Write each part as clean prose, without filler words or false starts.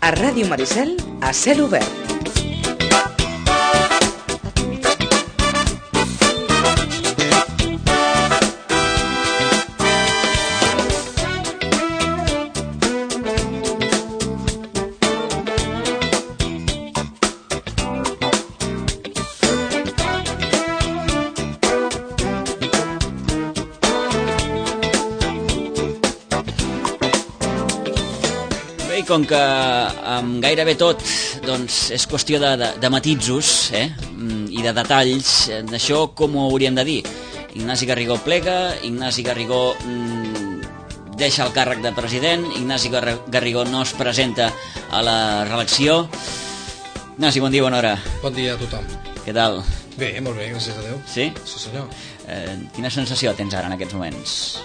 A Ràdio Maricel, a cel obert. Com que amb gairebé tot doncs, és qüestió de matisos i de detalls, d'això com ho hauríem de dir? Ignasi Garrigó plega, Ignasi Garrigó deixa el càrrec de president, Ignasi Garrigó no es presenta a la reelecció. Ignasi, bon dia, bona hora. Bon dia a tothom. Què tal? Bé, molt bé, gràcies a Déu. Sí? Sí, senyor. Quina sensació tens ara en aquests moments?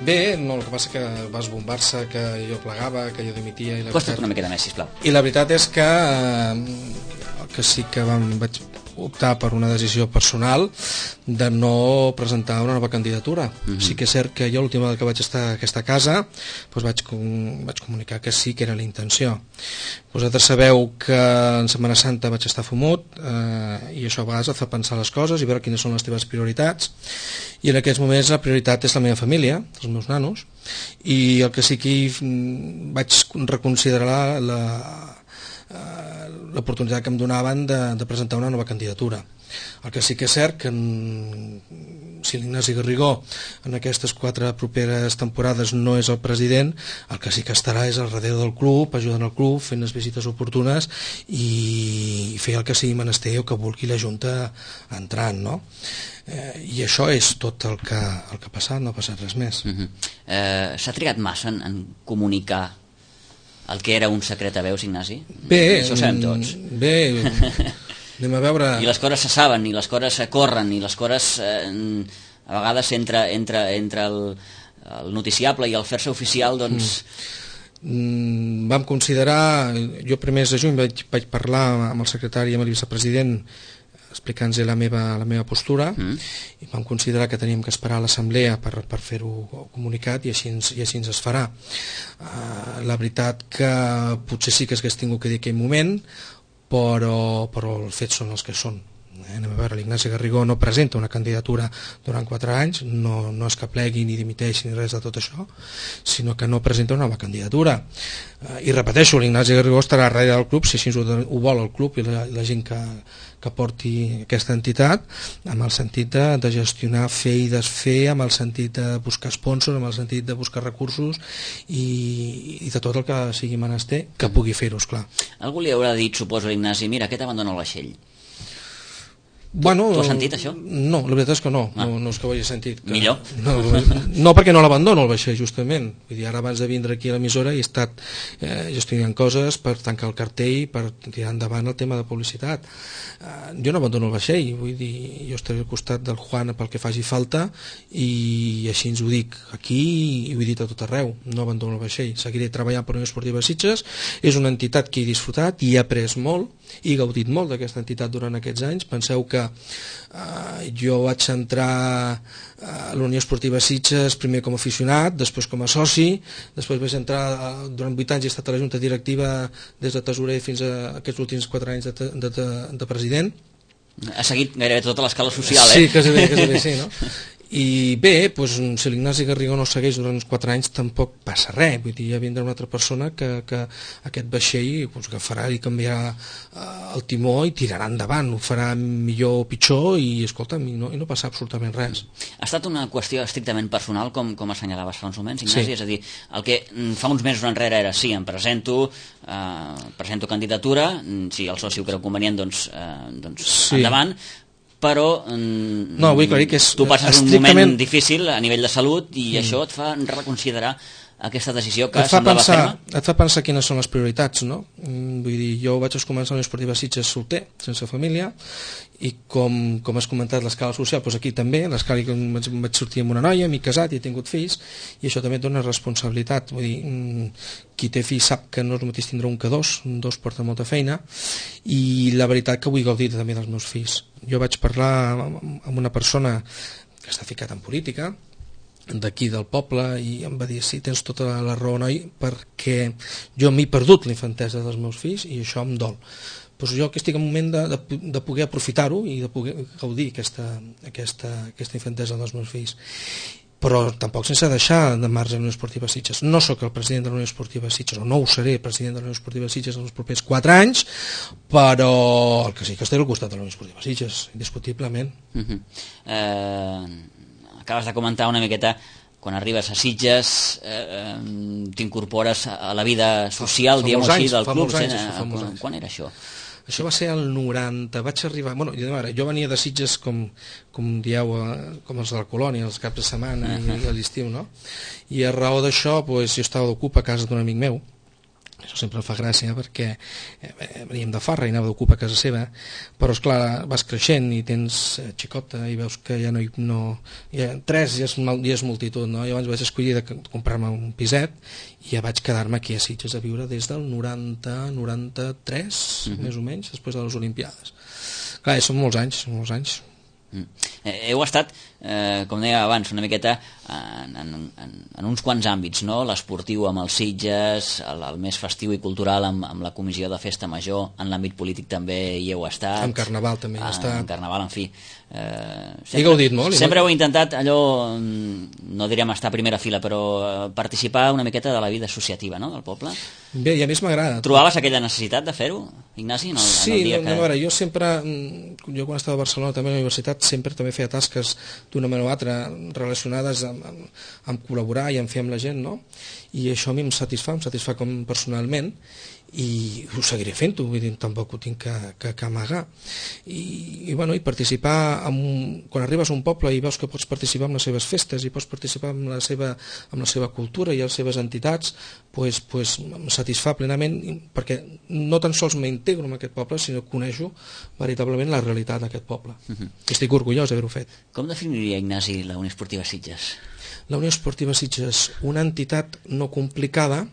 Bé, no, el que passa que va esbombar-se que jo plegava, que jo dimitia... Costa't una miqueta més, sisplau. I la veritat és que el que sí que vaig optar per una decisió personal de no presentar una nova candidatura. Sí que és cert que jo l'última vegada que vaig estar a aquesta casa doncs vaig comunicar que sí que era la intenció. Vosaltres sabeu que en Setmana Santa vaig estar fumut i això a vegades et fa pensar les coses i veure quines són les teves prioritats, i en aquests moments la prioritat és la meva família, els meus nanos, i el que sí que vaig reconsiderar l'oportunitat que em donaven de presentar una nova candidatura. El que sí que és cert que si l'Ignasi Garrigó en aquestes 4 properes temporades no és el president, el que sí que estarà és al darrere del club, ajudant el club, fent les visites oportunes i fer el que sigui menester o que vulgui la Junta entrant, no? I això és tot el que ha passat, no ha passat res més. S'ha trigat massa en comunicar el que era un secret a veus, Ignasi? Bé, això ho sabem tots. Bé, anem a veure... I les coses se saben, i les coses se corren, i les coses a vegades entre el noticiable i el fer-se oficial, doncs... Vam considerar, jo primers de juny vaig parlar amb el secretari i amb el vicepresident explicant-los la meva postura, i vam considerar que teníem que esperar a l'assemblea per fer-ho comunicat, i així es farà. La veritat que potser sí que s'hagués tingut que dir aquell moment, però els fets són els que són. Anem a veure, l'Ignasi Garrigó no presenta una candidatura durant 4 anys, no és que plegui ni dimiteix ni res de tot això, sinó que no presenta una nova candidatura. I repeteixo, l'Ignasi Garrigó estarà darrere del club, si així ho vol el club i la gent que porti aquesta entitat, amb el sentit de gestionar, fer i desfer, amb el sentit de buscar sponsors, amb el sentit de buscar recursos i de tot el que sigui menester que pugui fer-ho, esclar. Algú li haurà dit, suposo, a l'Ignasi, mira, aquest abandona el vaixell. Bueno, tu has sentit això? No, la veritat és que no és que ho hagi sentit. Millor. No, perquè no l'abandono el vaixell, justament. Vull dir, ara abans de vindre aquí a l'emissora he estat gestionant coses per tancar el cartell, per tirar endavant el tema de publicitat. Jo no abandono el vaixell, vull dir, jo estaré al costat del Juan pel que faci falta, i així ens ho dic aquí i ho he dit a tot arreu, no abandono el vaixell. Seguiré treballant per Unió Esportiva Sitges, és una entitat que he disfrutat i he après molt i he gaudit molt d'aquesta entitat durant aquests anys. Penseu que jo vaig entrar a la Unió Esportiva Sitges primer com a aficionat, després com a soci, després vaig entrar durant 8 anys, he estat a la Junta Directiva des de tesorer fins a aquests últims 4 anys de president. Ha seguit gairebé tota l'escala social, Sí, quasi bé, sí, no? I bé, doncs, si l'Ignasi Garrigó no segueix durant uns 4 anys tampoc passa res, vull dir, ja vindrà una altra persona que aquest vaixell agafarà i canviarà el timó i tirarà endavant, ho farà millor o pitjor i escolta'm, i no passa absolutament res. Ha estat una qüestió estrictament personal, com assenyalaves fa uns moments, Ignasi? Sí. És a dir, el que fa uns mesos enrere era sí, em presento candidatura, si el soci ho creu convenient, doncs sí. Endavant, però no, vull aclarir que és tu passes un moment difícil a nivell de salut i això et fa reconsiderar aquesta decisió que semblava ferma? Et fa pensar quines són les prioritats, no? Vull dir, jo vaig començar a la Unió Esportiva Sitges solter, sense família, i com has comentat l'escala social, doncs aquí també, l'escala que vaig sortir amb una noia, m'he casat i he tingut fills, i això també et dona responsabilitat. Vull dir, qui té fills sap que no és el mateix tindre un que dos porta molta feina, i la veritat que vull gaudir també dels meus fills. Jo vaig parlar amb una persona que està ficat en política, d'aquí del poble, i em va dir: sí, tens tota la raó, noi, perquè jo m'he perdut la infantesa dels meus fills i això em dol. Doncs jo que estic en un moment de poder aprofitar-ho i de poder gaudir aquesta infantesa dels meus fills, però tampoc sense deixar de marge la Unió Esportiva Sitges. No sóc el president de la Unió Esportiva Sitges, o no ho seré president de la Unió Esportiva Sitges en els propers 4 anys, però el que sí que estaré al costat de la Unió Esportiva Sitges, indiscutiblement. Acabes de comentar una miqueta, quan arribes a Sitges t'incorpores a la vida social, diguem-ho així, del club. Quan era això? Això va ser el 90, vaig arribar... Bueno, jo venia de Sitges, com dieu, com els de la colònia, els caps de setmana i a l'estiu, no? I a raó d'això, jo estava d'ocupa a casa d'un amic meu. Això sempre em fa gràcia perquè veníem de farra i anava d'ocupa a casa seva, però esclar, vas creixent i tens xicota i veus que ja tres ja és multitud, no? Llavors vaig escollir de comprar-me un piset i ja vaig quedar-me aquí a Sitges a viure des del 90-93, més o menys, després de les Olimpiades. Clar, són molts anys. Heu estat, com deia abans, una miqueta en uns quants àmbits, no? L'esportiu amb els Sitges, el més festiu i cultural amb la comissió de festa major, en l'àmbit polític també hi heu estat, en carnaval també hi he estat, en carnaval, en fi, he gaudit molt. Sempre heu intentat allò, no direm estar a primera fila, però participar una miqueta de la vida associativa, no?, del poble. Bé, i a més m'agrada. Trobaves aquella necessitat de fer-ho, Ignasi? Sí, a veure, jo quan estava a Barcelona també a la universitat sempre també feia tasques d'una manera o altra relacionades amb col·laborar i amb fer amb la gent, no? I això a mi em satisfà com personalment, i ho seguiré fent-ho, vull dir, tampoc ho tinc que amagar. I participar, quan arribes a un poble i veus que pots participar en les seves festes i pots participar en la seva cultura i les seves entitats, em satisfà plenament, perquè no tan sols m'integro en aquest poble, sinó que coneixo veritablement la realitat d'aquest poble. Estic orgullós d'haver-ho fet. Com definiria, Ignasi, la Unió Esportiva Sitges? La Unió Esportiva Sitges, una entitat no complicada,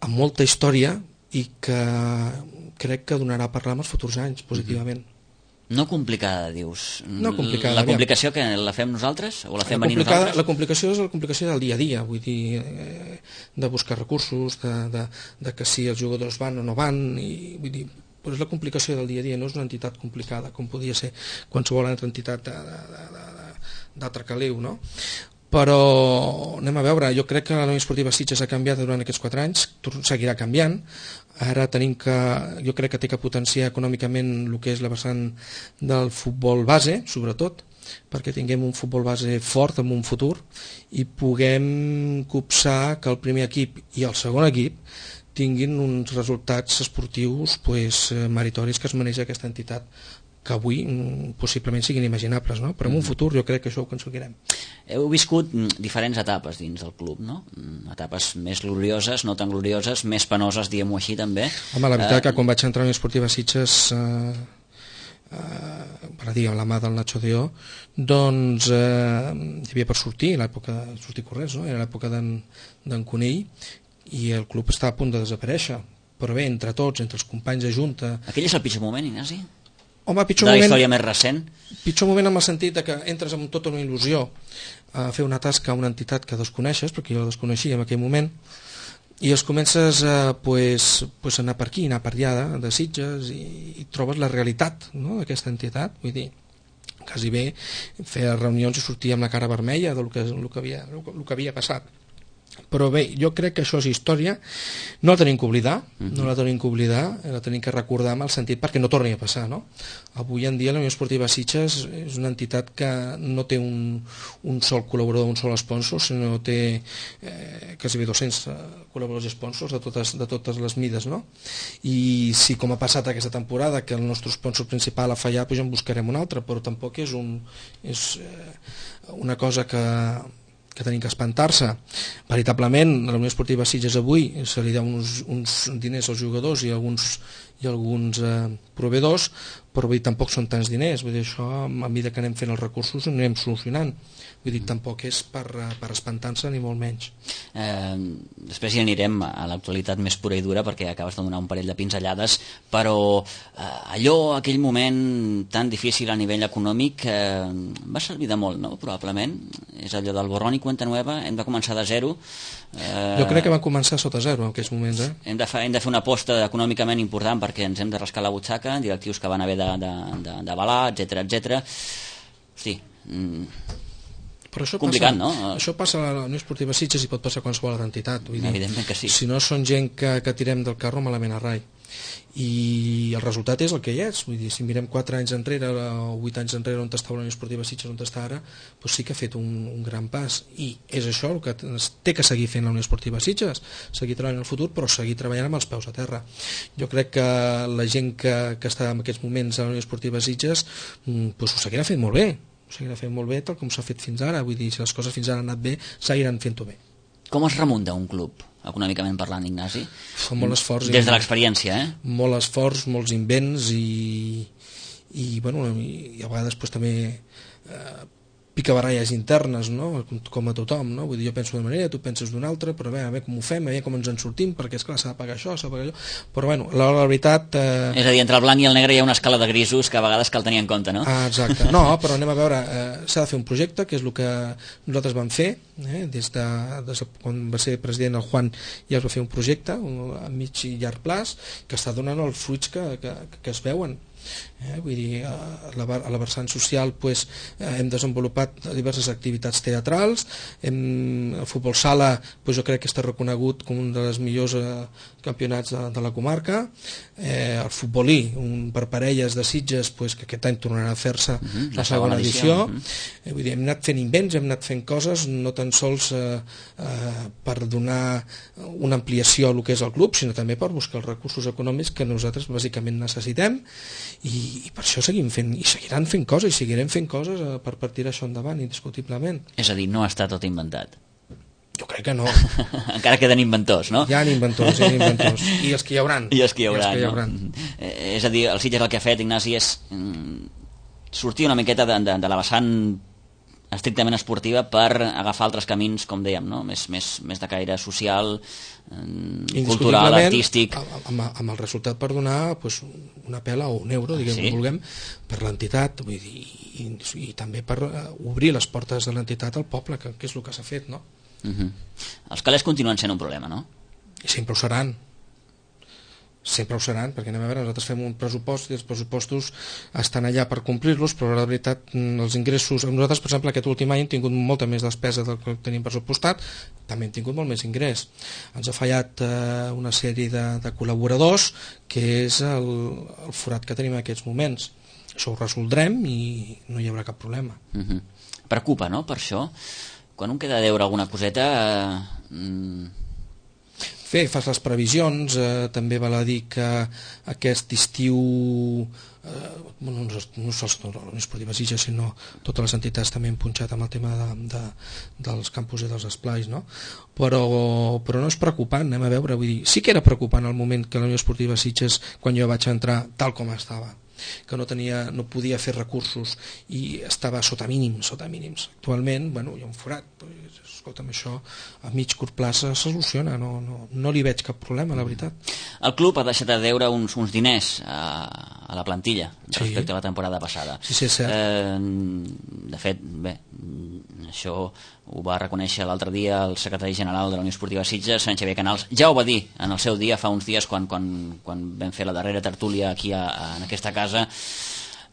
amb molta història, i que crec que donarà a parlar en els futurs anys positivament. No complicada, dius? No complicada. La complicació que la fem nosaltres? O la fem venir nosaltres? La complicació és la complicació del dia a dia, vull dir, de buscar recursos, de que si els jugadors van o no van, i vull dir, però és la complicació del dia a dia, no és una entitat complicada, com podia ser qualsevol altra entitat d'altre caliu, no? Però anem a veure, jo crec que la Unió Esportiva Sitges ha canviat durant aquests 4 anys, seguirà canviant. Ara jo crec que té que potenciar econòmicament el que és la vessant del futbol base, sobretot, perquè tinguem un futbol base fort en un futur i puguem copsar que el primer equip i el segon equip tinguin uns resultats esportius meritoris que es mereix aquesta entitat, que avui possiblement siguin imaginables, no? Però en un futur jo crec que això ho aconseguirem. Heu viscut diferents etapes dins del club, no? Etapes més glorioses, no tan glorioses, més penoses, diguem-ho així, també. Home, la veritat que quan vaig entrar a la Unió Esportiva Sitges, per dir, amb la mà del Nacho Deó, doncs hi havia per sortir corrents, no? Era l'època d'en Conill, i el club estava a punt de desaparèixer, però bé, entre tots, entre els companys de junta... Aquell és el pitjor moment, Ignasi? Home, de la història més recent? Pitjor moment en el sentit que entres amb tota una il·lusió a fer una tasca a una entitat que desconeixes, perquè jo la desconeixia en aquell moment, i els comences a anar per aquí, anar per allà de Sitges, i trobes la realitat, no?, d'aquesta entitat. Vull dir, quasi bé fer reunions i sortir amb la cara vermella del que havia passat. Però bé, jo crec que això és història, no la tenim que oblidar, la tenim que recordar en el sentit perquè no torni a passar, no? Avui en dia la Unió Esportiva Sitges és una entitat que no té un sol col·laborador, un sol sponsor, sinó té quasi 200 col·laboradors i sponsors de totes les mides, no? I si, com ha passat aquesta temporada, que el nostre sponsor principal ha fallat, doncs en buscarem un altre, però tampoc és una cosa que tenim que espantar-se. Veritablement, a la Unió Esportiva Sitges avui se li deu uns diners als jugadors i alguns proveïdors, però vull dir, tampoc són tants diners, vull dir, això a mesura que anem fent els recursos ho anem solucionant, vull dir, tampoc és per espantar-se ni molt menys. Després ja anirem a l'actualitat més pura i dura perquè acabes de donar un parell de pinzellades, però aquell moment tan difícil a nivell econòmic va servir de molt, no? Probablement és allò del borrón i cuenta nueva, hem de començar de zero. Jo crec que van començar sota zero en aquests moments. Hem de fer una aposta econòmicament important perquè ens hem de rascar la butxaca, directius que van haver d'avalar, etc. Hosti, però això complicat, passa, no? Això passa a la Unió Esportiva Sitges i pot passar a qualsevol altra entitat. Vull dir, evidentment que sí. Si no són gent que tirem del carro, malament a rai. I el resultat és el que hi és. Vull dir, si mirem 4 anys enrere o 8 anys enrere on estava la Unió Esportiva Sitges, on està ara, doncs sí que ha fet un gran pas. I és això el que té que seguir fent la Unió Esportiva Sitges, seguir treballant en el futur, però seguir treballant amb els peus a terra. Jo crec que la gent que està en aquests moments a la Unió Esportiva Sitges doncs ho seguirà fent molt bé. Ho seguirà fent molt bé tal com s'ha fet fins ara. Vull dir, si les coses fins ara han anat bé, seguiran fent-ho bé. Com es remunta un club, econòmicament parlant, Ignasi? Fa molt esforç. Des de l'experiència, Molt esforç, molts invents i bueno, i a vegades pues, també picabaralles internes, no? Com a tothom, no? Vull dir, jo penso d'una manera, tu penses d'una altra, però a veure com ho fem, a veure com ens en sortim, perquè esclar s'ha de pagar això, s'ha de pagar allò, però bueno, la veritat... És a dir, entre el blanc i el negre hi ha una escala de grisos que a vegades cal tenir en compte, no? Exacte, no, però anem a veure, s'ha de fer un projecte, que és el que nosaltres vam fer, des de quan va ser president el Juan ja es va fer un projecte a mig i llarg plaç, que està donant els fruits que es veuen. Vull dir, a la vessant social pues, hem desenvolupat diverses activitats teatrals, el futbol sala pues, jo crec que està reconegut com un dels millors campionats de la comarca, el futbolí per parelles de Sitges pues, que aquest any tornarà a fer-se la segona edició. Vull dir, hem anat fent invents, hem anat fent coses no tan sols per donar una ampliació al que és el club, sinó també per buscar els recursos econòmics que nosaltres bàsicament necessitem. I per això seguim fent, i seguiran fent coses, i seguirem fent coses per tirar això endavant, indiscutiblement. És a dir, no està tot inventat. Jo crec que no. Encara queden inventors, no? Hi ha inventors, i els que hi hauran. I els que hi hauran. És a dir, el Sitges el que ha fet, Ignasi, és sortir una miqueta de la vessant estrictament esportiva per agafar altres camins, com dèiem, no? més de caire social, cultural, artístic. Amb el resultat per donar pues, una pela o un euro, diguem que vulguem, per l'entitat, vull dir, i també per obrir les portes de l'entitat al poble, que és el que s'ha fet, no? Els calés continuen sent un problema, no? I sempre ho seran. Sempre ho seran, perquè anem a veure, nosaltres fem un pressupost i els pressupostos estan allà per complir-los, però la veritat els ingressos, nosaltres per exemple aquest últim any hem tingut molta més despesa del que tenim pressupostat, també hem tingut molt més ingrés. Ens ha fallat una sèrie de col·laboradors, que és el forat que tenim en aquests moments. Això ho resoldrem i no hi haurà cap problema. Preocupa, no?, per això. Quan un queda a deure alguna coseta... Fas les previsions, també val a dir que aquest estiu no sols la Unió Esportiva Sitges, sinó totes les entitats també han punxat amb el tema dels campus i dels esplais, no? Però no és preocupant, anem a veure, vull dir, sí que era preocupant el moment que la Unió Esportiva Sitges, quan jo vaig entrar tal com estava, que no podia fer recursos i estava sota mínims. Actualment, bueno, hi ha un forat, doncs, escolta'm, això a mig curt plaça se soluciona, no li veig cap problema, la veritat. El club ha deixat de deure uns diners a la plantilla respecte a la temporada passada. Sí, és cert. De fet, bé, això ho va reconèixer l'altre dia el secretari general de la Unió Esportiva Sitges, Sant Xavier Canals. Ja ho va dir en el seu dia, fa uns dies, quan vam fer la darrera tertúlia aquí en aquesta casa.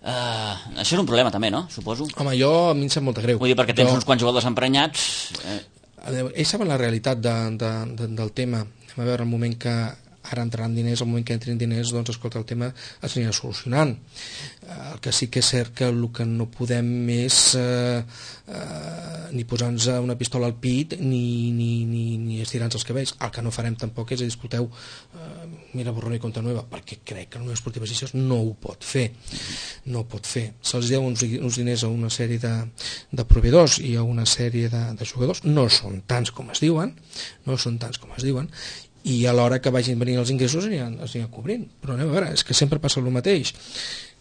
Això és un problema també, no? Suposo. Home, a mi em sap molt greu. Vull dir, perquè tens uns quants jugadors emprenyats. Ells saben la realitat del tema. Anem a veure el moment que ara entraran diners, el moment que entrin diners, doncs escolta, el tema es anirà solucionant. El que sí que és cert que el que no podem és ni posar-nos una pistola al pit ni estirar-nos els cabells. El que no farem tampoc és dir, escolteu, mira, borrón i compte nueva, perquè crec que la Unió Esportiva Sitges no ho pot fer. No ho pot fer. Se'ls deu uns diners a una sèrie de proveïdors i a una sèrie de jugadors. No són tants com es diuen, i a l'hora que vagin venint els ingressos es aniran cobrint. Però anem a veure, és que sempre passa el mateix.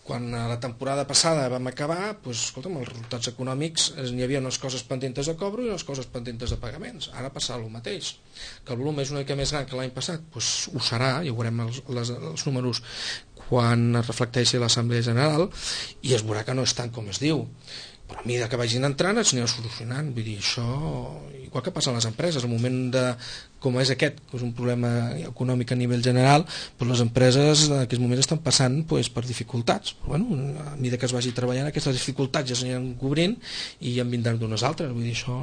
quan a la temporada passada vam acabar, doncs, escolta'm, els resultats econòmics n'hi havia unes coses pendentes de cobro i unes coses pendentes de pagaments. Ara passarà el mateix. Que el volum és una mica més gran que l'any passat, doncs ho serà, ja veurem els números quan es reflecteixi a l'Assemblea General i es veurà que no és tant com es diu. Però a mesura que vagin entrant es anirà solucionant. Vull dir, això, igual que passa a les empreses, el moment de, com és aquest, que és un problema econòmic a nivell general, doncs les empreses en aquests moments estan passant per dificultats. Però, bueno, a mesura que es vagi treballant, aquestes dificultats ja s'aniran cobrint i en vindran d'unes altres. Vull dir, això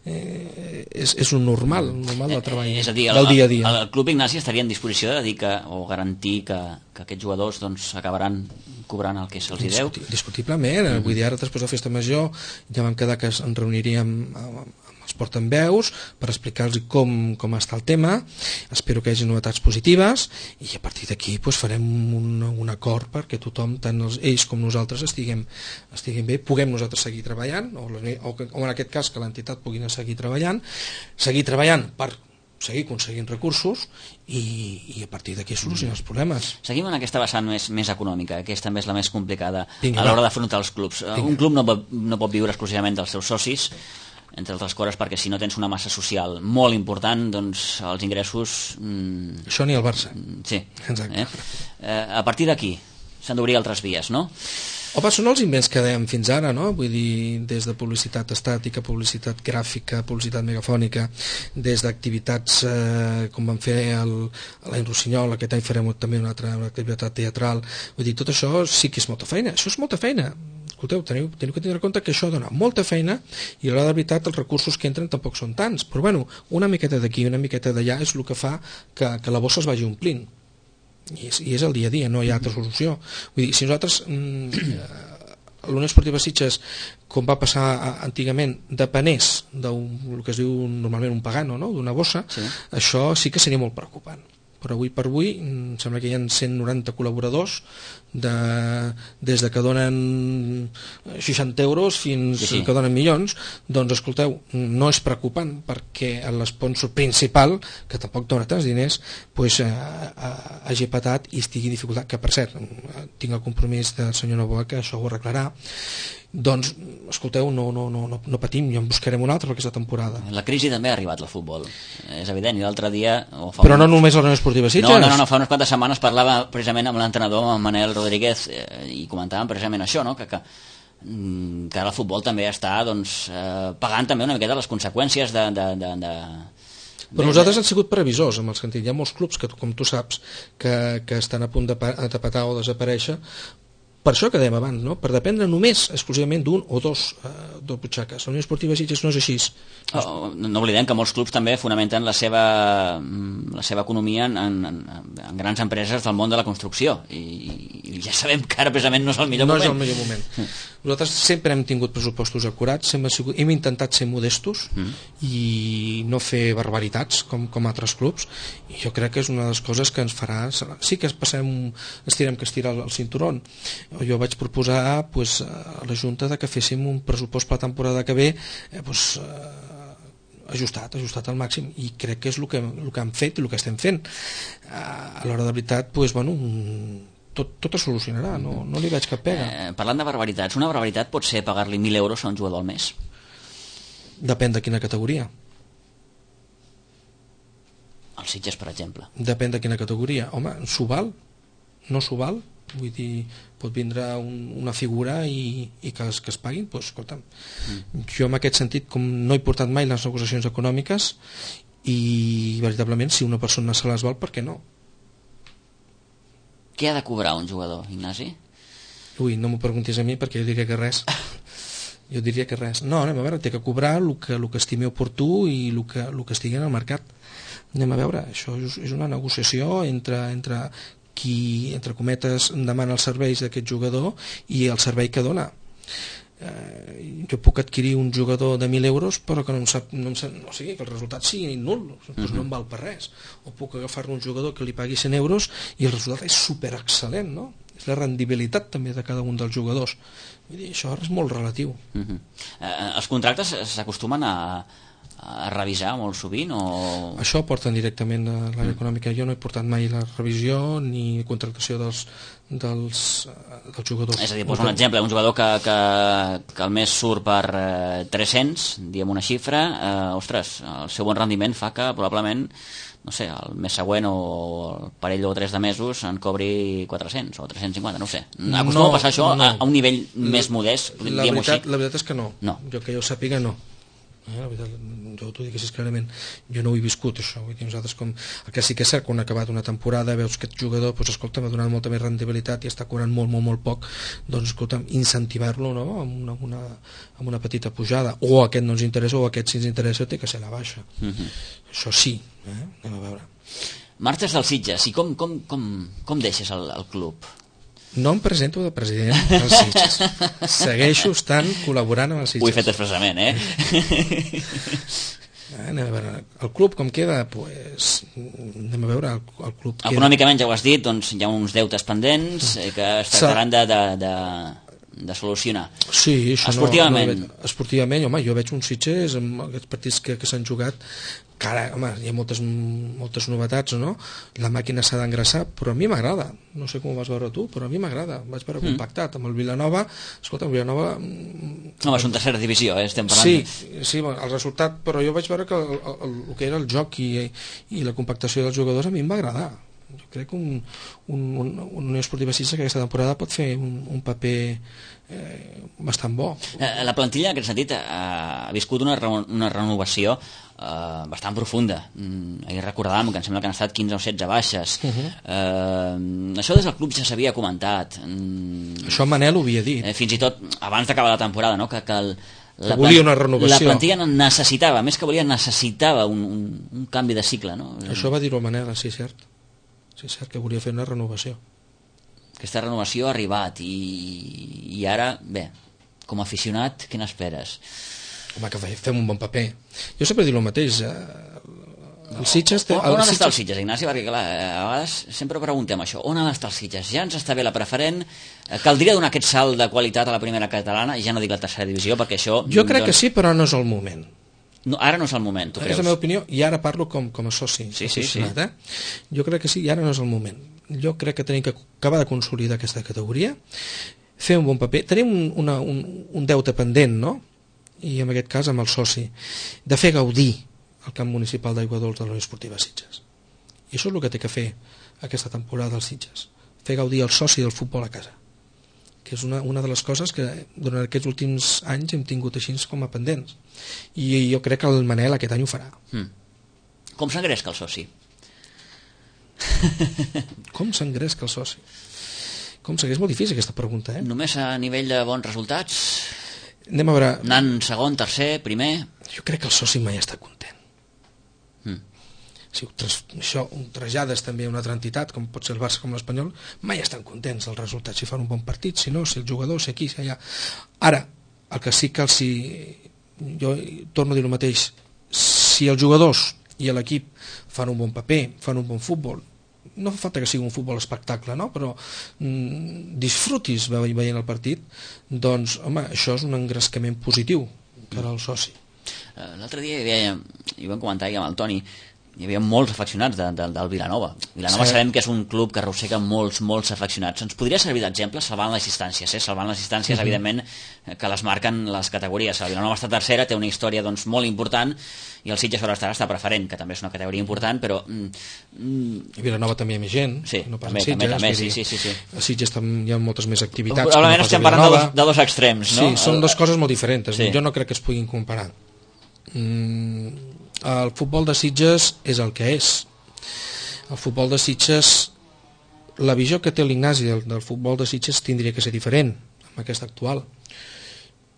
és un normal del treball, és a dir, del dia a dia. El Club Ignasi estaria en disposició de dir o garantir que aquests jugadors doncs, acabaran cobrant el que se'ls deu? Indiscutiblement. Vull dir, ara després de la festa major ja vam quedar que ens reuniríem amb els portaveus per explicar-los com està el tema. Espero que hi hagi novetats positives i a partir d'aquí farem un acord perquè tothom, tant ells com nosaltres estiguem bé, puguem nosaltres seguir treballant o en aquest cas que l'entitat pugui seguir treballant per seguir aconseguint recursos i a partir d'aquí solucionar els problemes. Seguim en aquesta vessant més econòmica, que també és la més complicada a l'hora d'afrontar els clubs. Un club no pot viure exclusivament dels seus socis, entre altres coses perquè si no tens una massa social molt important, doncs els ingressos... Això ni el Barça. Sí. Exacte. A partir d'aquí s'han d'obrir altres vies, no? Home, són els invents que dèiem fins ara, no? Vull dir, des de publicitat estàtica, publicitat gràfica, publicitat megafònica, des d'activitats com vam fer a l'any Rossinyol, aquest any farem també una altra activitat teatral. Vull dir, tot això sí que és molta feina. Això és molta feina. Escolteu, teniu que tenir en compte que això dona molta feina i a l'hora de veritat els recursos que entren tampoc són tants. Però bueno, una miqueta d'aquí, una miqueta d'allà és el que fa que la bossa es vagi omplint. I és el dia a dia, no hi ha altra solució. Vull dir, si nosaltres l'Unió Esportiva Sitges, com va passar antigament, depenés del que es diu normalment un pagano, no? D'una bossa, sí. Això sí que seria molt preocupant. Però avui per avui em sembla que hi ha 190 col·laboradors des de que donen 60 euros fins que donen milions. Doncs escolteu, no és preocupant perquè l'esponsor principal, que tampoc dona tants diners, hagi patat i estigui en dificultat, que per cert tinc el compromís del senyor Novoa que això ho arreglarà. Doncs, escolteu, no patim, ja en buscarem una altra per aquesta temporada. La crisi també ha arribat al futbol, és evident, i l'altre dia... Però no només a la Unió Esportiva Sitges? No, fa unes quantes setmanes parlava precisament amb l'entrenador, amb Manel Rodríguez, i comentàvem precisament això, no? que ara el futbol també està pagant també una miqueta les conseqüències de... Però nosaltres hem sigut previsors, en el sentit, hi ha molts clubs que, com tu saps, que estan a punt de petar o desaparèixer. Per això que dèiem abans, no? Per dependre només exclusivament d'un o dos butxaques. La Unió Esportiva Sitges no és així. No oblidem que molts clubs també fonamenten la seva economia en grans empreses del món de la construcció i ja sabem que ara precisament no és el millor moment. No és el millor moment. Nosaltres sempre hem tingut pressupostos acurats, hem intentat ser modestos i no fer barbaritats com altres clubs, i jo crec que és una de les coses que ens farà... Sí que estirem que estirar el cinturón. Jo vaig proposar a la Junta que féssim un pressupost per la temporada que ve ajustat al màxim, i crec que és el que han fet i el que estem fent. A l'hora de veritat, tot es solucionarà, no li veig cap pega. Parlant de barbaritats, una barbaritat pot ser pagar-li 1.000 euros a un jugador al mes? Depèn de quina categoria. El Sitges, per exemple. Depèn de quina categoria. Home, s'ho val? No s'ho val? Vull dir, pot vindre una figura i que es paguin, doncs escolta'm, jo en aquest sentit, com no he portat mai les negociacions econòmiques, i veritablement si una persona se les val, per què no? Què ha de cobrar un jugador, Ignasi? Ui, no m'ho preguntis a mi perquè jo diria que res. Jo diria que res. No, anem a veure, té que cobrar el que estimi oportú i el que estigui en el mercat. Anem a veure, això és una negociació entre qui, entre cometes, demana els serveis d'aquest jugador i el servei que dona. Jo puc adquirir un jugador de 1.000 euros però que no sigui que el resultat sigui nul, doncs no em val per res. O puc agafar-ne un jugador que li pagui 100 euros i el resultat és superexcel·lent, no? És la rendibilitat també de cada un dels jugadors. Vull dir, això és molt relatiu. Els contractes s'acostumen a a revisar molt sovint? O... Això ho porten directament a l'àrea econòmica. Jo no he portat mai la revisió ni contractació dels jugadors. És a dir, posa un exemple, un jugador que al mes surt per 300, diem una xifra, ostres, el seu bon rendiment fa que probablement, no sé, el mes següent o el parell o 3 de mesos en cobri 400 o 350, no ho sé. Acostuma a passar això a un nivell més modest, diguem-ho així? La veritat és que no. Jo que jo sàpiga, no. La veritat, jo t'ho dic així clarament, jo no ho he viscut això, vull dir, nosaltres com, el que sí que és cert, quan ha acabat una temporada veus que aquest jugador, doncs escolta, m'ha donat molta més rendibilitat i està cobrant molt poc, doncs escolta, incentivar-lo, no?, amb una petita pujada, o aquest no ens interessa o aquest si ens interessa té que ser la baixa. Això sí, anem a veure. Marxes del Sitges, i com deixes el club? No em presento de president dels Sitges. Segueixo estant col·laborant amb els Sitges. Ho he fet expressament, Anem a veure, el club com queda, pues, anem a veure, el club queda... Econòmicament, ja ho has dit, doncs hi ha uns deutes pendents que es tractaran de solucionar. Sí, això esportivament. Esportivament, home, jo veig uns Sitges amb aquests partits que s'han jugat, que ara, home, hi ha moltes novetats, no? La màquina s'ha d'engraçar, però a mi m'agrada. No sé com ho vas veure tu, però a mi m'agrada. Vaig veure compactat amb el Vilanova. Escolta, el Vilanova... Home, és una tercera divisió, estem parlant. Sí, el resultat, però jo vaig veure que el que era el joc i la compactació dels jugadors a mi em va agradar. Jo crec que un Unió Esportiva Sitges aquesta temporada pot fer un paper bastant bo. La plantilla, en aquest sentit, ha viscut una renovació bastant profunda. Ahir recordàvem que em sembla que han estat 15 o 16 baixes. Això des del club ja s'havia comentat. Això Manel ho havia dit. Fins i tot abans d'acabar la temporada, no? que volia una renovació. La plantilla necessitava, més que volia, necessitava un canvi de cicle, no? Això va dir-ho Manel, sí, cert. Sí, cert que volia fer una renovació. Aquesta renovació ha arribat i ara, bé, com a aficionat, què n'esperes? Home, que fem un bon paper. Jo sempre dic el mateix. El Sitges... On ha d'estar el Sitges, Ignasi? Perquè, clar, a vegades sempre preguntem això. On ha d'estar el Sitges? Ja ens està bé la preferent? Caldria donar aquest salt de qualitat a la primera catalana? I ja no dic la tercera divisió, perquè això... Jo crec que sí, però no és el moment. No, ara no és el moment, tu creus? És la meva opinió, i ara parlo com a soci. Sí. Jo crec que sí, i ara no és el moment. Jo crec que tenim que acabar de consolidar aquesta categoria, fer un bon paper. Tenim un deute pendent, no? I en aquest cas amb el soci, de fer gaudir el camp municipal d'Aigua Dols de la Unió Esportiva Sitges. I això és el que té que fer aquesta temporada dels Sitges, fer gaudir el soci del futbol a casa, que és una de les coses que durant aquests últims anys hem tingut així com a pendents. I jo crec que el Manel aquest any ho farà. Com s'engresca el soci? Com s'engresca el soci? És molt difícil aquesta pregunta, Només a nivell de bons resultats? Anem a veure... Anant segon, tercer, primer? Jo crec que el soci mai està content. Si això ho trasllades també a una altra entitat, com pot ser el Barça com l'Espanyol, mai estan contents dels resultats, si fan un bon partit, si no, si el jugador, si aquí, si allà. Ara, el que sí que jo torno a dir el mateix, si els jugadors i l'equip fan un bon paper, fan un bon futbol, no fa falta que sigui un futbol espectacle, no? Però disfrutis veient el partit, doncs, home, això és un engrescament positiu per al soci. L'altre dia hi vam comentar amb el Toni, hi havia molts afeccionats del Vilanova. Vilanova sabem que és un club que arrossega molts afeccionats. Ens podria servir d'exemple salvant les distàncies, salvant les distàncies, evidentment, que les marquen les categories. El Vilanova està tercera, té una història doncs, molt important, i el Sitges està preferent, que també és una categoria important, però... I Vilanova també hi ha més gent. Sí, no també, sí. A Sitges hi ha moltes més activitats. Probablement estem parlant de dos extrems, no? Sí, són dues coses molt diferents. Sí. Jo no crec que es puguin comparar. El futbol de Sitges és el que és. El futbol de Sitges, la visió que té l'Ignasi del futbol de Sitges tindria que ser diferent amb aquesta actual,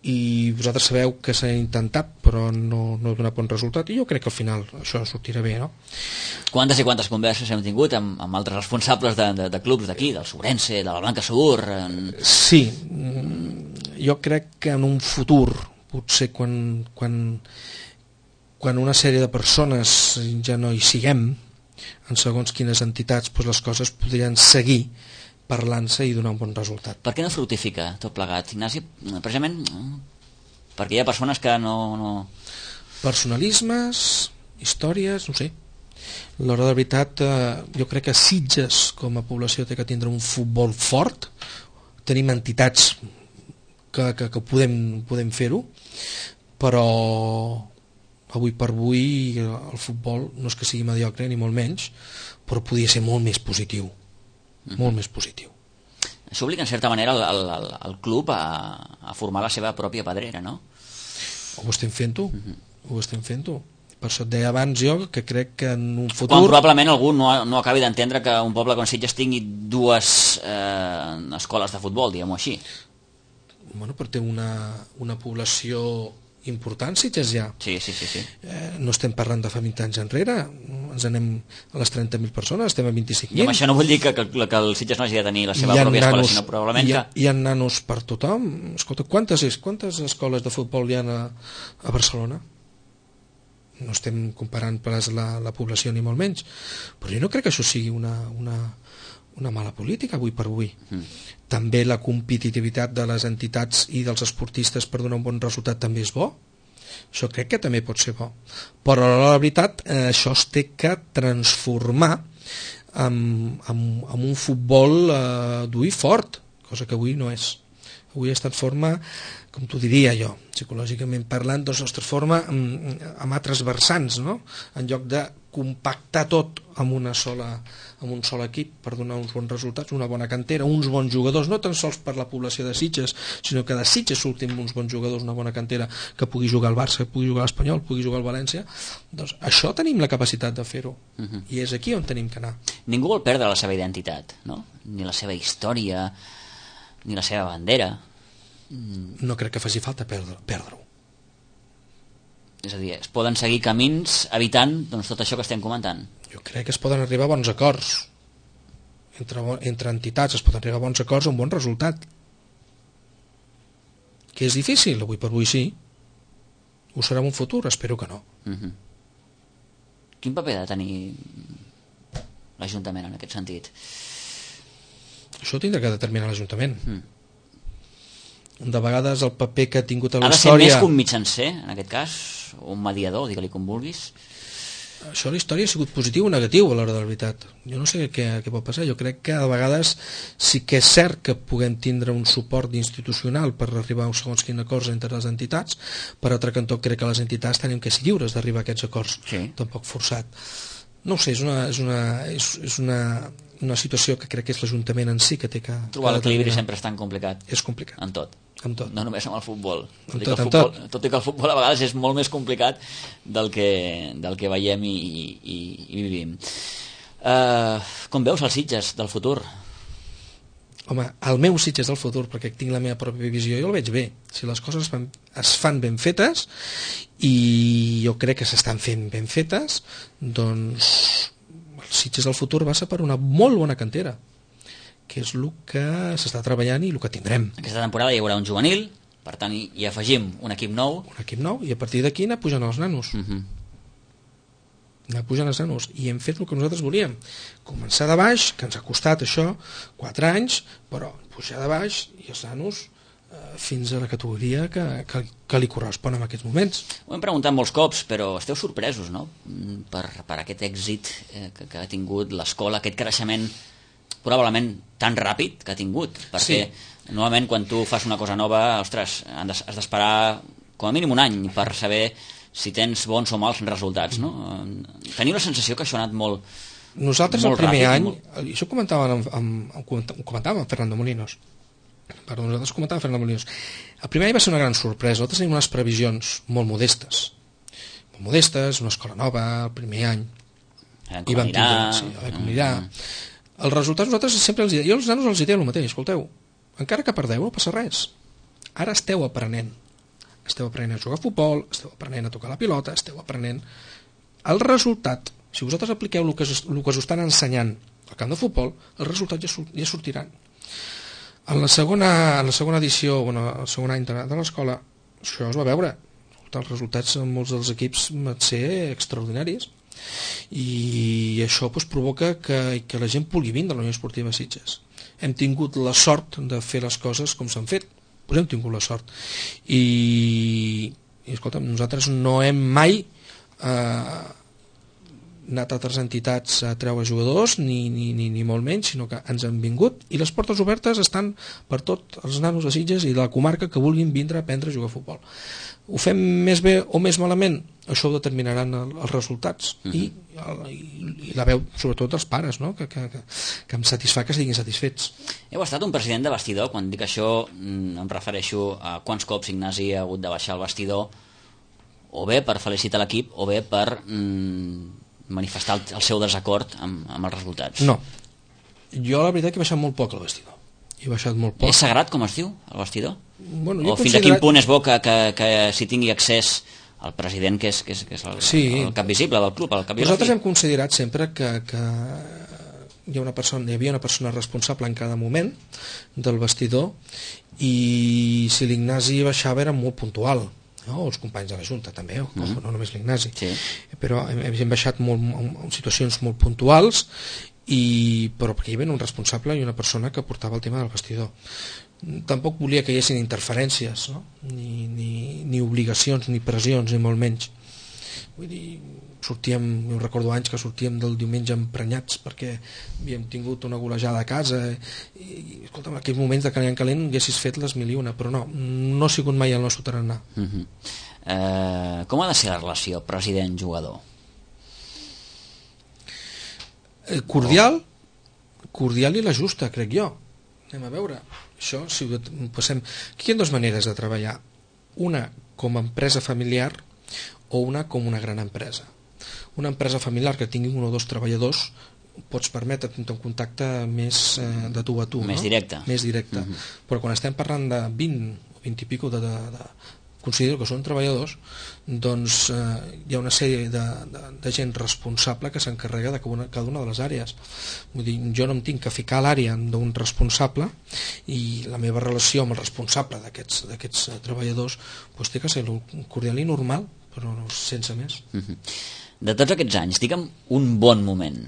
i vosaltres sabeu que s'ha intentat però no ha donat bon resultat, i jo crec que al final això sortirà bé, no? Quantes i quantes converses hem tingut amb altres responsables de clubs d'aquí, del Sobrense, de la Blanca Segur? Sí, jo crec que en un futur, potser quan una sèrie de persones ja no hi siguem, en segons quines entitats, doncs les coses podrien seguir parlant-se i donar un bon resultat. Per què no fructifica tot plegat, Ignasi? Precisament perquè hi ha persones que no Personalismes, històries, no sé. A l'hora de veritat, jo crec que Sitges com a població té que tindre un futbol fort. Tenim entitats que podem fer-ho, però avui per avui el futbol no és que sigui mediocre ni molt menys, però podria ser molt més positiu, molt més positiu. Això obliga en certa manera el club a formar la seva pròpia pedrera, no? Ho estem fent-ho, per això et deia abans jo que crec que en un futur... Quan probablement algú no acabi d'entendre que un poble com Sitges tingui dues escoles de futbol, diguem-ho així. Bueno, però té una població important, Sitges ja. Sí. No estem parlant de fa 20 anys enrere, ens anem a les 30.000 persones, estem a 25.000. I amb això no vull dir que el Sitges no hagi de tenir la seva pròpia escola, sinó probablement que... Hi ha nanos per tothom. Escolta, quantes escoles de futbol hi ha a Barcelona? No estem comparant pas la població ni molt menys, però jo no crec que això sigui una mala política avui per avui. També la competitivitat de les entitats i dels esportistes per donar un bon resultat també és bo, això crec que també pot ser bo, però la veritat això es té que transformar en un futbol dur i fort, cosa que avui no és. Avui es transforma, com t'ho diria jo, psicològicament parlant, doncs es transforma en altres vessants, no? En lloc de compactar tot en un sol equip per donar uns bons resultats, una bona cantera, uns bons jugadors, no tan sols per la població de Sitges, sinó que de Sitges surtin uns bons jugadors, una bona cantera, que pugui jugar al Barça, que pugui jugar a l'Espanyol, pugui jugar al València. Doncs això tenim la capacitat de fer-ho, i és aquí on tenim que anar. Ningú vol perdre la seva identitat, no? Ni la seva història, ni la seva bandera. No crec que faci falta perdre-ho. És a dir, es poden seguir camins evitant tot això que estem comentant. Jo crec que es poden arribar a bons acords entre entitats, es poden arribar a bons acords, a un bon resultat, que és difícil, avui per avui sí, ho serà en un futur, espero que no. Quin paper ha de tenir l'Ajuntament en aquest sentit? Això ho tindrà que determinar l'Ajuntament. De vegades el paper que ha tingut a la història... Ha de ser més que un mitjancer, en aquest cas, o un mediador, digue-li com vulguis. Això a la història ha sigut positiu o negatiu a l'hora de la veritat. Jo no sé què pot passar. Jo crec que a vegades sí que és cert que puguem tindre un suport institucional per arribar a segons quins acords entre les entitats, per altre cantó crec que les entitats tenim que ser lliures d'arribar a aquests acords, tampoc forçat. No ho sé, és una situació que crec que és l'Ajuntament en si que té que... Trobar l'equilibri sempre és tan complicat. És complicat. En tot. No només amb el futbol. Tot i que el futbol a vegades és molt més complicat del que veiem i vivim. Com veus els Sitges del futur? Home, el meu Sitges del futur, perquè tinc la meva pròpia visió, jo el veig bé. Si les coses es fan ben fetes, i jo crec que s'estan fent ben fetes, doncs el Sitges del futur va ser per una molt bona cantera, que és el que s'està treballant i el que tindrem. Aquesta temporada hi haurà un juvenil, per tant hi afegim un equip nou. Un equip nou, i a partir d'aquí anar pujant els nanos. Anar pujant els nanos. I hem fet el que nosaltres volíem. Començar de baix, que ens ha costat això 4 anys, però pujar de baix i els nanos fins a la categoria que li correspon en aquests moments. Ho hem preguntat molts cops, però esteu sorpresos, no?, per aquest èxit que ha tingut l'escola, aquest creixement probablement tan ràpid que ha tingut, perquè normalment quan tu fas una cosa nova, ostres, has d'esperar com a mínim un any per saber si tens bons o mals resultats, no? Teniu la sensació que això ha anat molt ràpid? Nosaltres el primer any, això ho comentàvem amb Fernando Molinos, el primer any va ser una gran sorpresa. Nosaltres tenim unes previsions molt modestes, una escola nova el primer any, i vam tindre com anirà. Els resultats nosaltres sempre els diem, jo als nanos els diria el mateix, escolteu, encara que perdeu no passa res, ara esteu aprenent a jugar a futbol, esteu aprenent a tocar la pilota, esteu aprenent el resultat. Si vosaltres apliqueu el que us estan ensenyant al camp de futbol, els resultats ja sortiran. En la segona edició, el segon any de l'escola, això es va veure, els resultats en molts dels equips van ser extraordinaris, i això provoca que la gent pugui vindre a la Unió Esportiva Sitges. Hem tingut la sort de fer les coses com s'han fet, hem tingut la sort, i I escolta, nosaltres no hem mai anat a altres entitats a treure jugadors ni molt menys, sinó que ens han vingut i les portes obertes estan per tots els nanos de Sitges i de la comarca que vulguin vindre a aprendre a jugar a futbol. Ho fem més bé o més malament, això ho determinaran els resultats i la veu sobretot dels pares, no? que em satisfà que estiguin satisfets. Heu estat un president de vestidor. Quan dic això em refereixo a quants cops Ignasi ha hagut de baixar al vestidor o bé per felicitar l'equip o bé per manifestar el seu desacord amb els resultats. No, jo la veritat que he baixat molt poc al vestidor. He baixat molt poc. És sagrat, com es diu, el vestidor? Bueno, o fins a quin punt és bo que s'hi tingui accés el president, que és el cap visible del club? Nosaltres hem considerat sempre que hi havia una persona responsable en cada moment del vestidor i si l'Ignasi baixava era molt puntual. No, els companys de la Junta també, no només l'Ignasi, però hem baixat en situacions molt puntuals però perquè hi havia un responsable i una persona que portava el tema del vestidor. Tampoc volia que hi haguessin interferències, no? ni obligacions ni pressions, ni molt menys. Vull dir, jo recordo anys que sortíem del diumenge emprenyats perquè havíem tingut una golejada a casa i escolta, en aquells moments de calent haguessis fet les mil i una, però no ha sigut mai el nostre tarannà. Com ha de ser la relació president-jugador? Cordial i la justa, crec jo. Anem a veure això, si ho passem. Aquí hi ha dues maneres de treballar, una com a empresa familiar o una com una gran empresa. Una empresa familiar que tingui un o dos treballadors pots permetre tenir un contacte més de tu a tu, més directe. Més directe. Però quan estem parlant de 20 o 20 i pico considero que són treballadors, doncs hi ha una sèrie de gent responsable que s'encarrega de cada una de les àrees. Vull dir, jo no em tinc que ficar a l'àrea d'un responsable i la meva relació amb el responsable d'aquests treballadors doncs té que ser cordial i normal, però sense més. De tots aquests anys, digue'm un bon moment.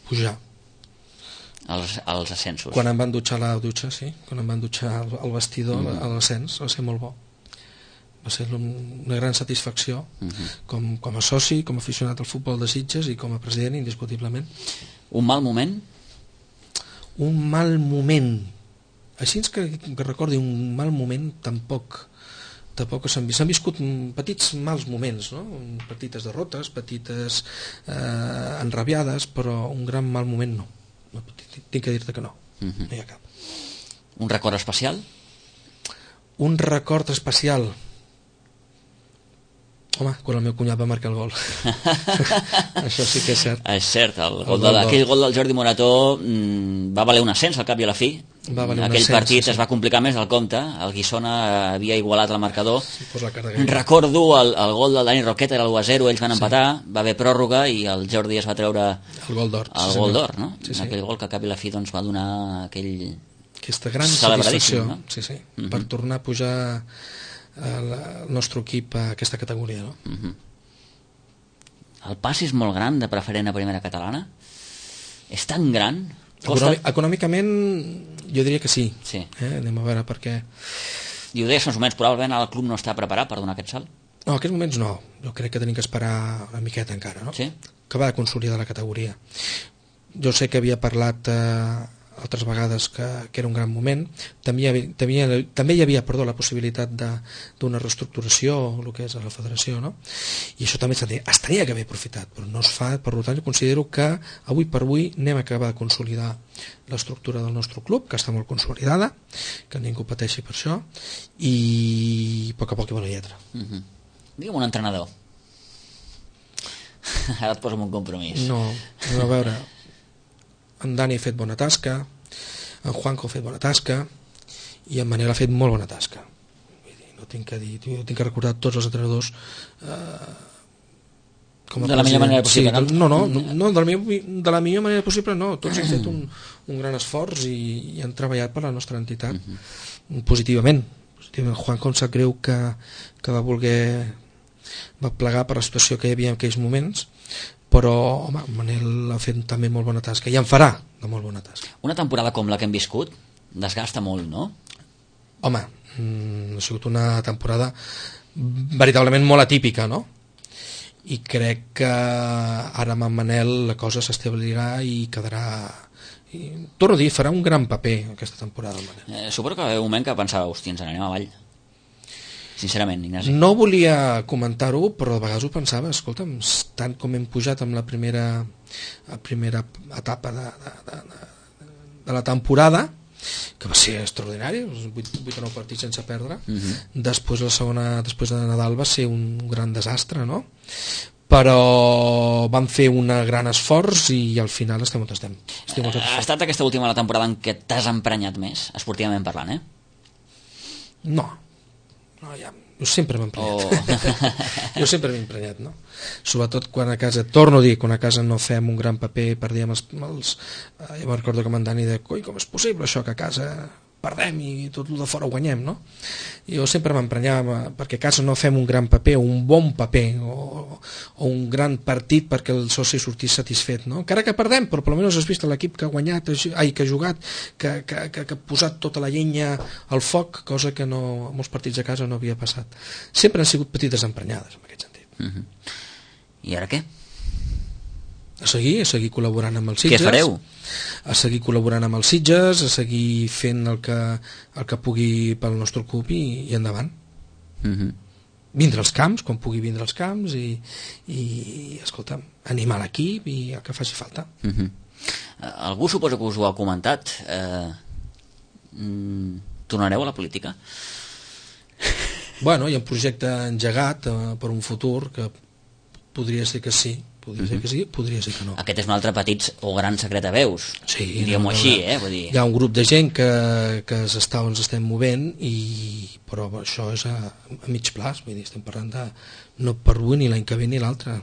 Pujar. Els ascensos. Quan em van dutxar a la dutxa, sí. Quan em van dutxar al vestidor, a l'ascens, va ser molt bo. Va ser una gran satisfacció com a soci, com a aficionat al futbol de Sitges i com a president, indiscutiblement. Un mal moment? Un mal moment. Així que recordi un mal moment tampoc s'han viscut petits mals moments, no? Petites derrotes, petites enrabiades, però un gran mal moment no. Tinc que dir-te que no. No hi ha cap. Un record especial? Un record especial. Home, quan el meu cunyat va marcar el gol. Això sí que és cert. És cert, aquell gol del Jordi Morató va valer un ascens al cap i a la fi. Aquell partit es va complicar més del compte. El Guissona havia igualat el marcador. Recordo el gol del Dani Roqueta, era l'1-0, ells van empatar, va haver pròrroga i el Jordi es va treure el gol d'or, no? Aquell gol que al cap i la fi va donar aquesta gran satisfacció, no? Per tornar a pujar el nostre equip a aquesta categoria, no? El pas és molt gran de preferent a primera catalana? És tan gran? Econòmicament jo diria que sí. Anem a veure per què. I ho deies més o menys, probablement el club no està preparat per donar aquest salt? No, en aquests moments no. Jo crec que tenim que esperar una miqueta encara, no? Que va de consolidar la categoria. Jo sé que havia parlat altres vegades que era un gran moment. També hi havia la possibilitat d'una reestructuració, el que és a la federació, no? I això també es tenia que haver aprofitat, però no es fa. Per tant, jo considero que avui per avui anem a acabar de consolidar l'estructura del nostre club, que està molt consolidada, que ningú pateixi per això, i a poc a poc hi va la lletra. Digue'm un entrenador. Ara et poso en un compromís. No, a veure, en Dani ha fet bona tasca, en Juanjo ha fet bona tasca i en Manel ha fet molt bona tasca. No tinc que dir, jo tinc que recordar tots els entrenadors com a de la millor manera possible. No, de la millor manera possible no, tots han fet un gran esforç i han treballat per la nostra entitat positivament. Juanjo em sap greu que va plegar per la situació que hi havia en aquells moments, però home, Manel ha fet també molt bona tasca i en farà de molt bona tasca. Una temporada com la que hem viscut desgasta molt, no? Home, ha sigut una temporada veritablement molt atípica, no? I crec que ara amb en Manel la cosa s'establirà i quedarà, torno a dir, farà un gran paper aquesta temporada el Manel. Suposo que va haver un moment que pensava, hòstia, ens n'anem avall, sincerament, Ignasi. No volia comentar-ho, però de vegades ho pensava, escolta'm, tant com hem pujat amb la primera etapa de la temporada, que va ser extraordinari, 8 o 9 partits sense perdre. Després la segona, després de Nadal, va ser un gran desastre, no? Però vam fer un gran esforç i al final estem on estem. Ha estat aquesta última la temporada en què t'has emprenyat més, esportivament parlant, No, ja, jo sempre m'he emprenyat. Jo sempre m'he emprenyat, no? Sobretot quan a casa, torno a dir, quan a casa no fem un gran paper, perdíem els jo me'n recordo que m'en Dani deia, coi, com és possible això que a casa perdem i tot el de fora ho guanyem, no? Jo sempre m'emprenyava perquè a casa no fem un gran paper, un bon paper o un gran partit perquè el soci sortís satisfet, no? Encara que perdem, però almenys has vist l'equip que ha guanyat, que ha jugat, que ha posat tota la llenya al foc, cosa que no, en molts partits a casa no havia passat. Sempre han sigut petites emprenyades en aquest sentit. I ara què? A seguir col·laborant amb els Sitges. Què fareu? A seguir col·laborant amb els Sitges, a seguir fent el que pugui pel nostre club i endavant. Vindre als camps, quan pugui vindre als camps i escolta'm, animar l'equip i el que faci falta. Algú suposo que us ho ha comentat. Tornareu a la política? Bueno, hi ha un projecte engegat per un futur que podria ser que sí, podria ser que sí, podria ser que no. Aquest és un altre petit o gran secret a veus, sí, diguem-ho així, vull dir. Hi ha un grup de gent que ens estem movent, però això és a mig plaç, vull dir, estem parlant de no per avui ni l'any que ve ni l'altre.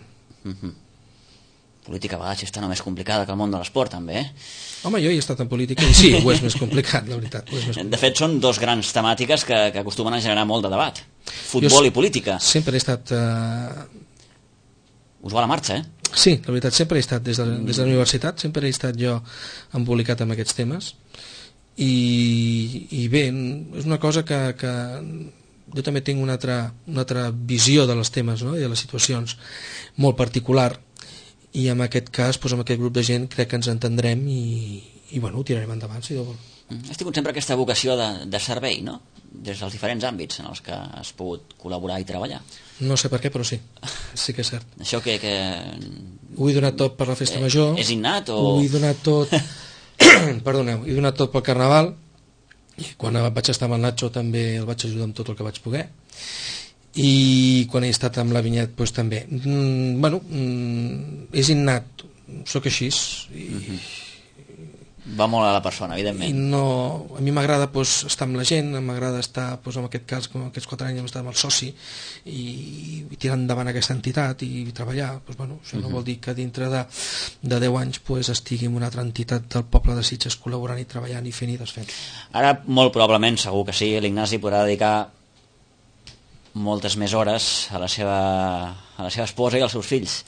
Política a vegades està més complicada que el món de l'esport, també, Home, jo he estat en política i sí, ho és més complicat, la veritat. De fet, són dos grans temàtiques que acostumen a generar molt de debat. Futbol i política. Sempre he estat... Us va a la marxa, Sí, la veritat, sempre he estat, des de la universitat, sempre he estat jo embolicat amb aquests temes i bé, és una cosa que jo també tinc una altra visió de les temes, no? I de les situacions molt particular i en aquest cas, doncs, amb aquest grup de gent crec que ens entendrem i bueno, ho tirarem endavant, si Déu vol. Has tingut sempre aquesta vocació de servei, no? Des dels diferents àmbits en els que has pogut col·laborar i treballar. No sé per què, però sí que és cert. Això que... Ho he donat tot per la festa major. És innat o...? Ho he donat tot... Perdoneu, he donat tot pel Carnaval i quan vaig estar amb el Nacho també el vaig ajudar amb tot el que vaig poder i quan he estat amb la Vinyet doncs també. Bueno, és innat, sóc així va molt a la persona, evidentment. I no, a mi m'agrada estar amb la gent, m'agrada estar, en aquest cas, com aquests 4 anys hem estat amb el soci i tirar endavant aquesta entitat i treballar. Bueno, això no vol dir que dintre de 10 anys estigui en una altra entitat del poble de Sitges col·laborant i treballant i fent i desfent. Ara, molt probablement, segur que sí, l'Ignasi podrà dedicar moltes més hores a la seva esposa i als seus fills.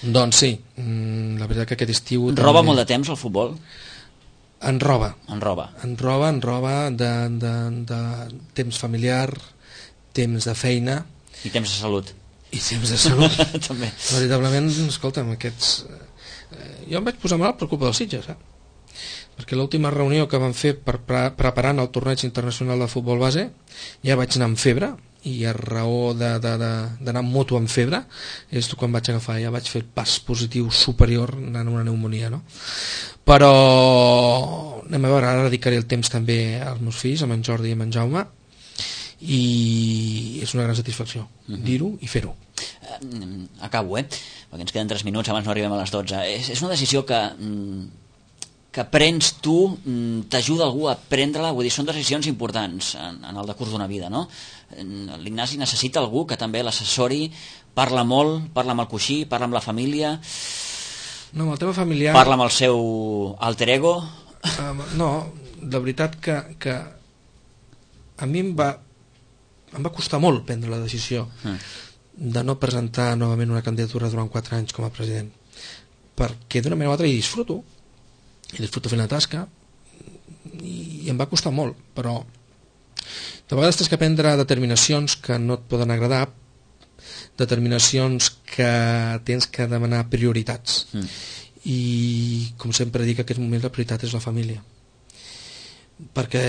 Doncs sí, la veritat que aquest estiu... Roba molt de temps el futbol? En roba de temps familiar, temps de feina i temps de salut també. Veritablement, escolta'm, jo em vaig posar malalt per culpa dels Sitges, perquè l'última reunió que vam fer preparant el torneig internacional de futbol base ja vaig anar amb febre i a raó d'anar amb moto amb febre és quan vaig agafar, ja vaig fer el pas positiu superior anant a una pneumonia, no? Però anem a veure, ara dedicaré el temps també als meus fills, amb en Jordi i amb en Jaume i és una gran satisfacció dir-ho i fer-ho. Acabo, perquè ens queden 3 minuts, abans no arribem a les 12. És una decisió que prens tu, t'ajuda algú a prendre-la, vull dir, són decisions importants en el decurs d'una vida, no? L'Ignasi necessita algú que també l'assessori, parla molt, parla amb el coixí, parla amb la família... No, amb el tema familiar... Parla amb el seu alter ego... No, la veritat que a mi em va costar molt prendre la decisió de no presentar novament una candidatura durant 4 anys com a president, perquè d'una manera o altra hi disfruto fent la tasca i em va costar molt, però De vegades tens que prendre determinacions que no et poden agradar, determinacions que tens que demanar prioritats. I, com sempre dic, en aquest moment la prioritat és la família. Perquè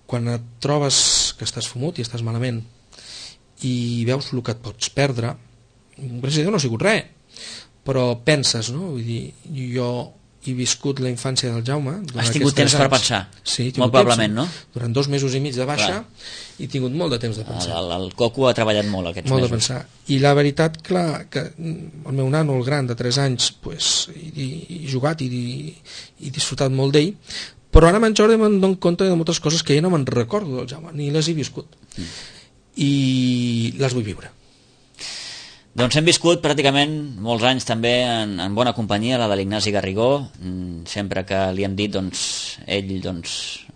quan et trobes que estàs fumut i estàs malament i veus el que et pots perdre, gràcies a Déu no ha sigut res, però penses, no? Vull dir, jo he viscut la infància del Jaume. Has tingut temps per pensar? Sí, molt probablement, no? Durant 2 mesos i mig de baixa he tingut molt de temps de pensar. El Coco ha treballat molt aquests molt mesos. De pensar. I la veritat, clar, que el meu nano, el gran, de 3 anys, pues, he jugat i disfrutat molt d'ell, però ara Jordi me'n dono compte de moltes coses que ja no me'n recordo del Jaume, ni les he viscut. I les vull viure. Doncs hem viscut pràcticament molts anys també en bona companyia, la de l'Ignasi Garrigó. Sempre que li hem dit, doncs, ell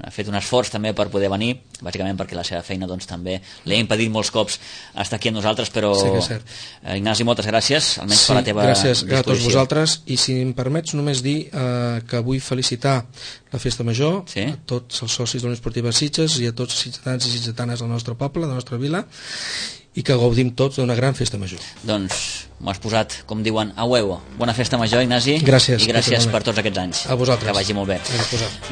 ha fet un esforç també per poder venir, bàsicament perquè la seva feina també li ha impedit molts cops estar aquí amb nosaltres, però sí que és cert. Ignasi, moltes gràcies, almenys per la teva gràcies disposició. A tots vosaltres, i si em permets només dir que vull felicitar la Festa Major, a tots els socis de la Unió Esportiva Sitges i a tots els ciutadans i ciutadanes del nostre poble, de la nostra vila, i que gaudim tots d'una gran festa major. Doncs m'ho has posat, com diuen, a huevo. Bona festa major, Ignasi. Gràcies. I gràcies per tots aquests anys. A vosaltres. Que vagi molt bé.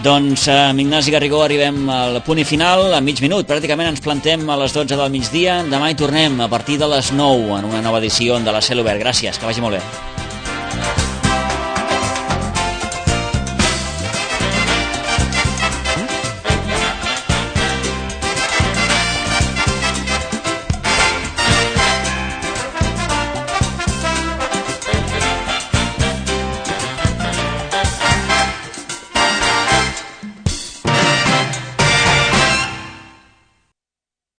Doncs amb Ignasi Garrigó arribem al punt i final, a mig minut. Pràcticament ens plantem a les 12 del migdia. Demà hi tornem a partir de les 9 en una nova edició de la Cel Obert. Gràcies, que vagi molt bé.